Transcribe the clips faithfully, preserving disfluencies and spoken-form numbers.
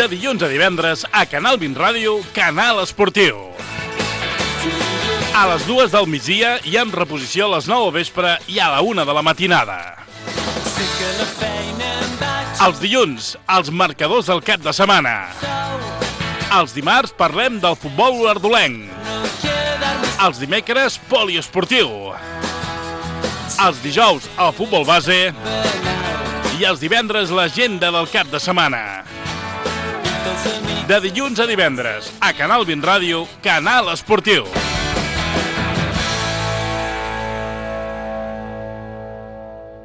de dilluns a divendres a Canal vint Ràdio, Canal Esportiu. A les dues del migdia i amb reposició a les nou al vespre i a la una de la matinada. Els dilluns, els marcadors del cap de setmana. Els dimarts parlem del futbol olordolenc. Els dimecres, poliesportiu. Els dijous, el futbol base. I els divendres, l'agenda del cap de setmana. De dilluns a divendres, a Canal vint Ràdio, Canal Esportiu.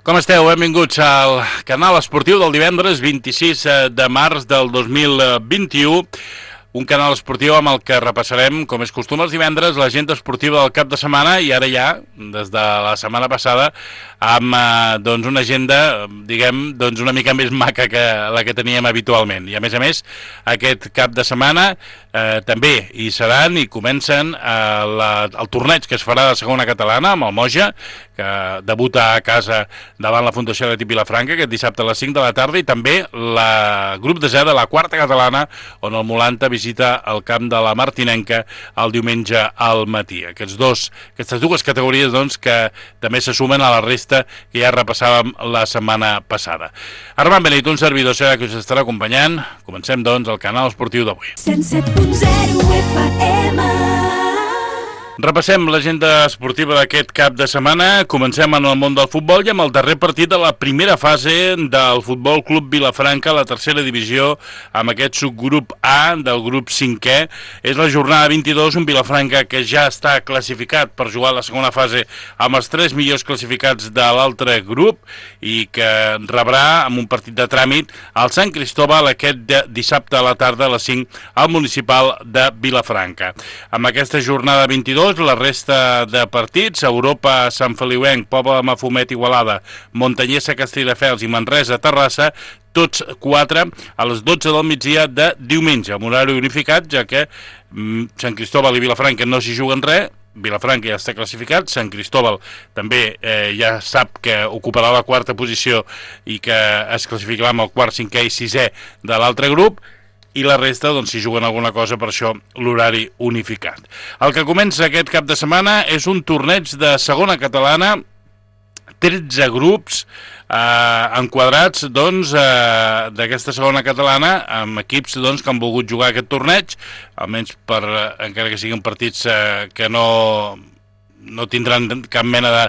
Com esteu? Benvinguts al Canal Esportiu del divendres vint-i-sis de març del dos mil vint-i-u. Un canal esportiu amb el que repassarem, com és costum els divendres, l'agenda esportiva del cap de setmana i ara ja, des de la setmana passada, amb eh, doncs una agenda, diguem, doncs una mica més maca que la que teníem habitualment. I a més a més, aquest cap de setmana eh, també hi seran i comencen eh, la, el torneig que es farà de segona catalana amb el Moja, que debuta a casa davant la Fundació Atlètic Vilafranca aquest dissabte a les cinc de la tarda, i també la grup de zero de la quarta catalana, on el Molanta visita el camp de la Martinenca el diumenge al matí. Aquests dos, aquestes dues categories doncs, que també se sumen a la resta que ja repassàvem la setmana passada. Armand Benito, un servidor serà que us estarà acompanyant. Comencem doncs el canal esportiu d'avui. cent set punt zero F M. Repassem l'agenda esportiva d'aquest cap de setmana. Comencem en el món del futbol i amb el darrer partit de la primera fase del Futbol Club Vilafranca a la tercera divisió, amb aquest subgrup A del grup cinquè. És la jornada vint-i-dos, un Vilafranca que ja està classificat per jugar a la segona fase amb els tres millors classificats de l'altre grup i que rebrà amb un partit de tràmit al Sant Cristóbal aquest dissabte a la tarda a les cinc al municipal de Vilafranca. Amb aquesta jornada vint-i-dos, la resta de partits: Europa, Sant Feliuenc, Pobla de Mafumet, Igualada, Montanyesa, Castelldefels i Manresa, Terrassa, tots quatre a les dotze del migdia de diumenge, amb horari unificat, ja que mm, Sant Cristóbal i Vilafranca no s'hi juguen res. Vilafranca ja està classificat, Sant Cristóbal també eh, ja sap que ocuparà la quarta posició i que es classificarà amb el quart, cinquè i sisè de l'altre grup, i la resta, doncs, si juguen alguna cosa, per això l'horari unificat. El que comença aquest cap de setmana és un torneig de segona catalana, tretze grups eh, enquadrats, doncs, eh, d'aquesta segona catalana, amb equips, doncs, que han volgut jugar aquest torneig, almenys per, eh, encara que siguin partits eh, que no... no tindran cap mena de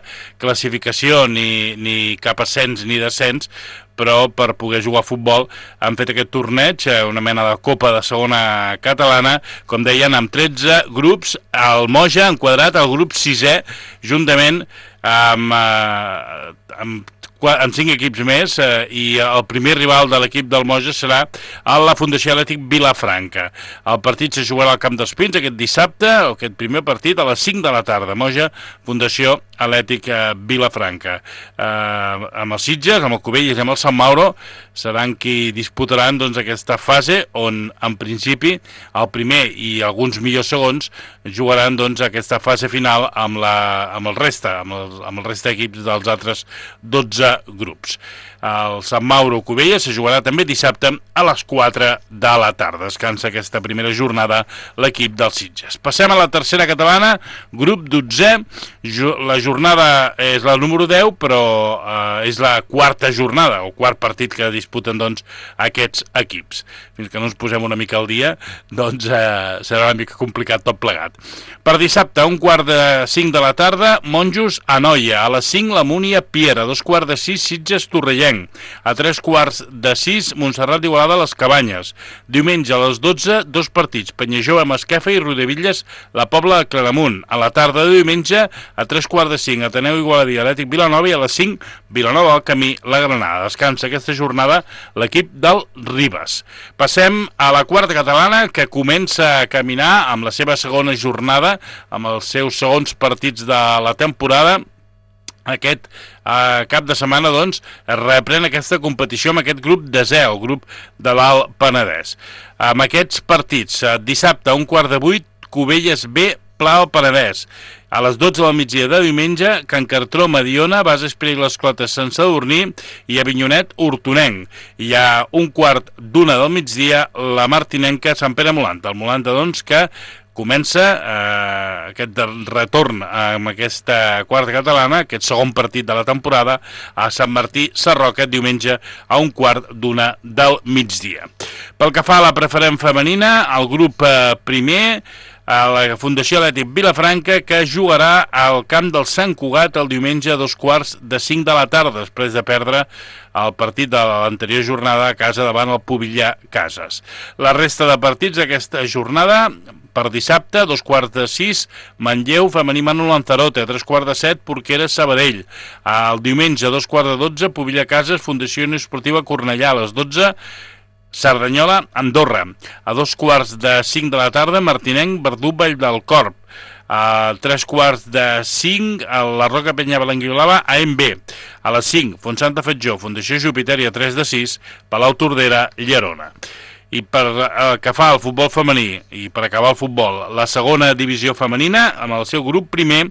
classificació ni, ni cap ascens ni descens, però per poder jugar a futbol han fet aquest torneig, una mena de copa de segona catalana, com deien, amb tretze grups. El Moja enquadrat al grup sisè, juntament amb, eh, amb amb cinc equips més, eh, i el primer rival de l'equip del Moja serà a la Fundació Atlètic Vilafranca. El partit se jugarà al Camp dels Pins aquest dissabte, aquest primer partit a les cinc de la tarda. Moja, Fundació Atlètic Vilafranca. Eh, amb els Sitges, amb el Cubelles i amb el Sant Mauro seran qui disputaran, doncs, aquesta fase on, en principi, el primer i alguns millors segons jugaran, doncs, aquesta fase final amb, la, amb el resta, amb el, amb el resta d'equips dels altres dotze grups. El Sant Mauro Cubelles se jugarà també dissabte a les quatre de la tarda. Descansa aquesta primera jornada l'equip dels Sitges. Passem a la tercera catalana, grup dotzè. La jornada és la número deu, però eh, és la quarta jornada, o quart partit que disputen, doncs, aquests equips. Fins que no ens posem una mica al dia, doncs eh, serà una mica complicat tot plegat. Per dissabte, un quart de cinc de la tarda, Monjos Anoia. A les cinc, la Múnia Piera. A dos quarts de sis, Sitges Torrellenc. A tres quarts de sis, Montserrat d'Igualada Les Cabanyes. Diumenge a les dotze, dos partits: Penyajove Masquefa i Rodevilles La Pobla de Claramunt. A la tarda de diumenge, a tres quarts de cinc, Ateneu Igualada i Atlètic Vilanova, i a les cinc, Vilanova al Camí La Granada. Descansa aquesta jornada l'equip del Ribes. Passem a la quarta catalana, que comença a caminar amb la seva segona jornada, amb els seus segons partits de la temporada. Aquest eh, cap de setmana, doncs, es reprèn aquesta competició amb aquest grup de zero, el grup de l'Alt Penedès. Amb aquests partits, eh, dissabte a un quart de vuit, Cubelles B, Pla al Penedès. A les dotze del migdia de diumenge, Can Cartró, Mediona, Base Esprit i les Clotes, Sant Sadurní i Avinyonet, Hortonenc. I a un quart d'una del migdia, la Martinenca, Sant Pere Molanta. El Molanta, doncs, que comença eh, aquest retorn amb aquesta quarta catalana, aquest segon partit de la temporada, a Sant Martí Sarroca, diumenge a un quart d'una del migdia. Pel que fa a la preferent femenina, el grup eh, primer, a la Fundació Atlètic Vilafranca, que jugarà al camp del Sant Cugat el diumenge a dos quarts de cinc de la tarda, després de perdre el partit de l'anterior jornada a casa davant el Pobillà Cases. La resta de partits d'aquesta jornada: per dissabte, a dos quarts de sis, Manlleu, femení Manu Lanzarote, a tres quarts de set, Porqueres, Sabadell. El diumenge, a dos quarts de dotze, Pobillà Cases, Fundació Esportiva Cornellà, a les dotze, Cerdanyola, Andorra. A dos quarts de cinc de la tarda, Martinenc, Verdú, Vall del Corp. A tres quarts de cinc, a la Roca Penya Belanguiolava, A M B. A les cinc, Fontsanta Fatjó, Fundació Júpiter, i a tres de sis, Palau Tordera, Llerona. I per eh, que fa el futbol femení, i per acabar el futbol, la segona divisió femenina, amb el seu grup primer,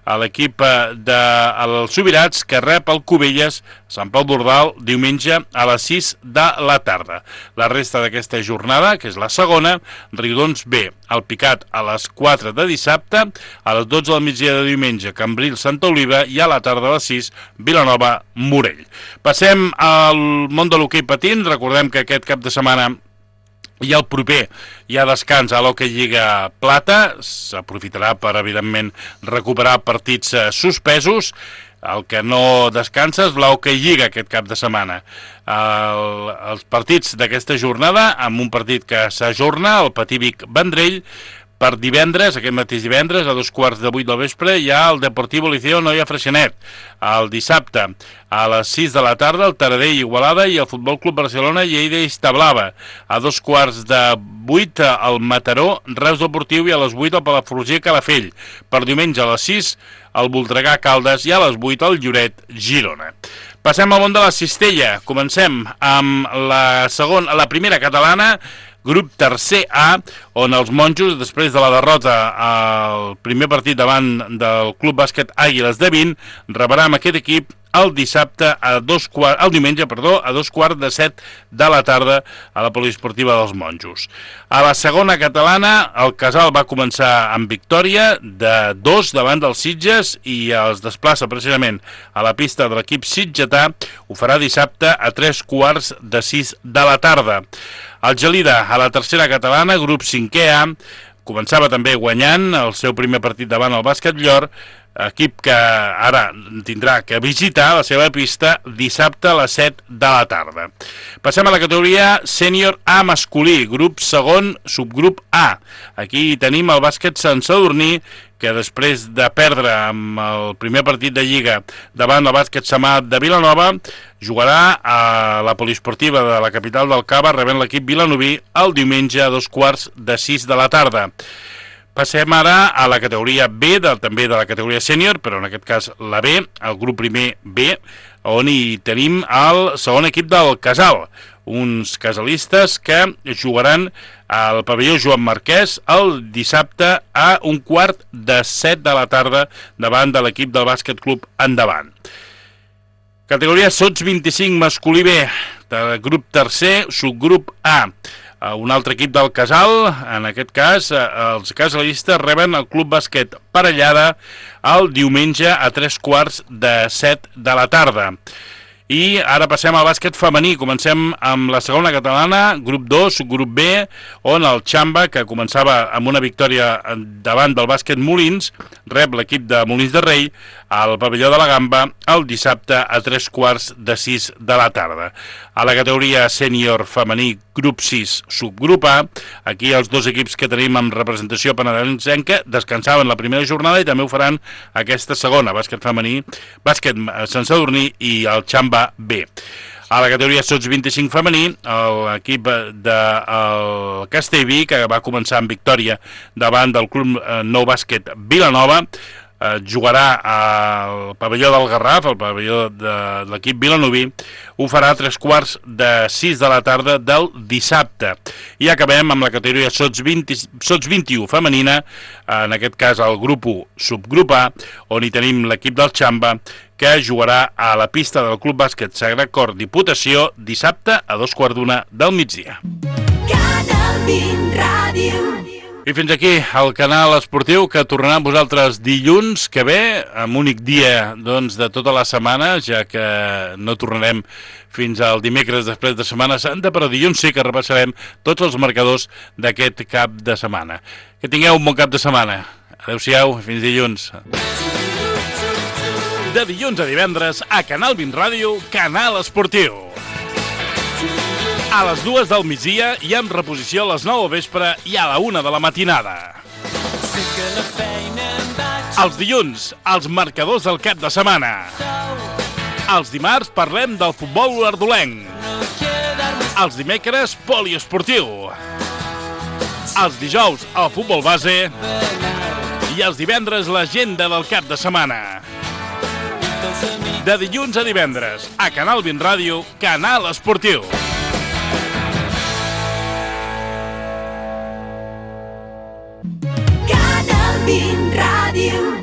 a l'equip dels Subirats, que rep el Cubelles, Sant Pau d'Ordal, diumenge a les sis de la tarda. La resta d'aquesta jornada, que és la segona, Riudons B, el Picat a les quatre de dissabte, a les dotze del migdia de diumenge, Cambril, Santa Oliva, i a la tarda a les sis, Vilanova, Morell. Passem al món de l'hoquei patins. Recordem que aquest cap de setmana i el proper hi ha descans a l'Hockey Lliga Plata. S'aprofitarà per, evidentment, recuperar partits eh, suspesos. El que no descansa és l'Hockey Lliga aquest cap de setmana. El, els partits d'aquesta jornada, amb un partit que s'ajorna, el Patí Vic Vendrell. Per divendres, aquest mateix divendres, a dos quarts de vuit del vespre, hi ha el Deportivo Liceo Noia Freixenet. El dissabte, a les sis de la tarda, el Taradell Igualada, i el Futbol Club Barcelona Lleida Iztablava. A dos quarts de vuit, el Mataró Reus Deportiu, i a les vuit el Palafrugell Calafell. Per diumenge a les sis, el Voltregà Caldes, i a les vuit el Lloret Girona. Passem al món de la cistella. Comencem amb la segona, la primera catalana, grup tercer A, on els monjos, després de la derrota al primer partit davant del Club Bàsquet Àguiles de vint, rebrà amb aquest equip el dissabte a dos quarts, el diumenge, perdó, a dos quarts de set de la tarda a la poliesportiva dels monjos. A la segona catalana, el Casal va començar amb victòria de dos davant dels Sitges i els desplaça precisament a la pista de l'equip sitgetà. Ho farà dissabte a tres quarts de sis de la tarda. El Gelida, a la tercera catalana, grup cinquè A, començava també guanyant el seu primer partit davant el Bàsquet Llor, equip que ara tindrà que visitar la seva pista dissabte a les set de la tarda. Passem a la categoria sènior A masculí, grup segon, subgrup A. Aquí tenim el Bàsquet Sant Sadurní, que després de perdre amb el primer partit de Lliga davant el Bàsquet Samà de Vilanova, jugarà a la poliesportiva de la capital del Cava, rebent l'equip vilanoví el diumenge a dos quarts de sis de la tarda. Passem ara a la categoria B, de, també de la categoria sènior, però en aquest cas la B, el grup primer B, on hi tenim el segon equip del Casal, uns casalistes que jugaran al pavelló Joan Marquès el dissabte a un quart de set de la tarda davant de l'equip del Bàsquet Club Endavant. Categoria Sots vint-i-cinc masculí B, de grup tercer, subgrup A. Un altre equip del Casal, en aquest cas els casalistes reben el Club Bàsquet Parellada el diumenge a tres quarts de set de la tarda. I ara passem al bàsquet femení. Comencem amb la segona catalana, grup dos, grup B, on el Xamba, que començava amb una victòria davant del bàsquet Molins, rep l'equip de Molins de Rei al pavelló de la Gamba el dissabte a tres quarts de sis de la tarda. A la categoria sènior femení, grup sis, subgrup A, aquí els dos equips que tenim amb representació penedesenca descansaven la primera jornada i també ho faran aquesta segona, bàsquet femení, bàsquet Sant Sadurní i el Xamba B. A la categoria Sots vint-i-cinc femení, l'equip del Castellví, que va començar amb victòria davant del Club Nou Bàsquet Vilanova, eh, jugarà al pavelló del Garraf, al pavelló de l'equip vilanoví. Ho farà a tres quarts de sis de la tarda del dissabte. I acabem amb la categoria sots vint, sots vint-i-u femenina, en aquest cas el grup u, subgrup A, on hi tenim l'equip del Xamba, que jugarà a la pista del Club Bàsquet Sagrat Cor Diputació dissabte a dos quarts d'una del migdia. Canal vint Ràdio. I fins aquí el canal esportiu, que tornarà amb vosaltres dilluns que ve, amb únic dia doncs, de tota la setmana, ja que no tornarem fins al dimecres després de Setmana Santa, però dilluns sí que repassarem tots els marcadors d'aquest cap de setmana. Que tingueu un bon cap de setmana. Adéu-siau, fins dilluns. De dilluns a divendres, a Canal vint Ràdio, Canal Esportiu. A les dues del migdia i amb reposició a les nou al vespre i a la una de la matinada. Els dilluns, els marcadors del cap de setmana. Els dimarts parlem del futbol ardolenc. Els dimecres, poliesportiu. Els dijous, el futbol base. I els divendres, l'agenda del cap de setmana. De dilluns a divendres, a Canal vint Ràdio, Canal Esportiu. Canal vint Ràdio.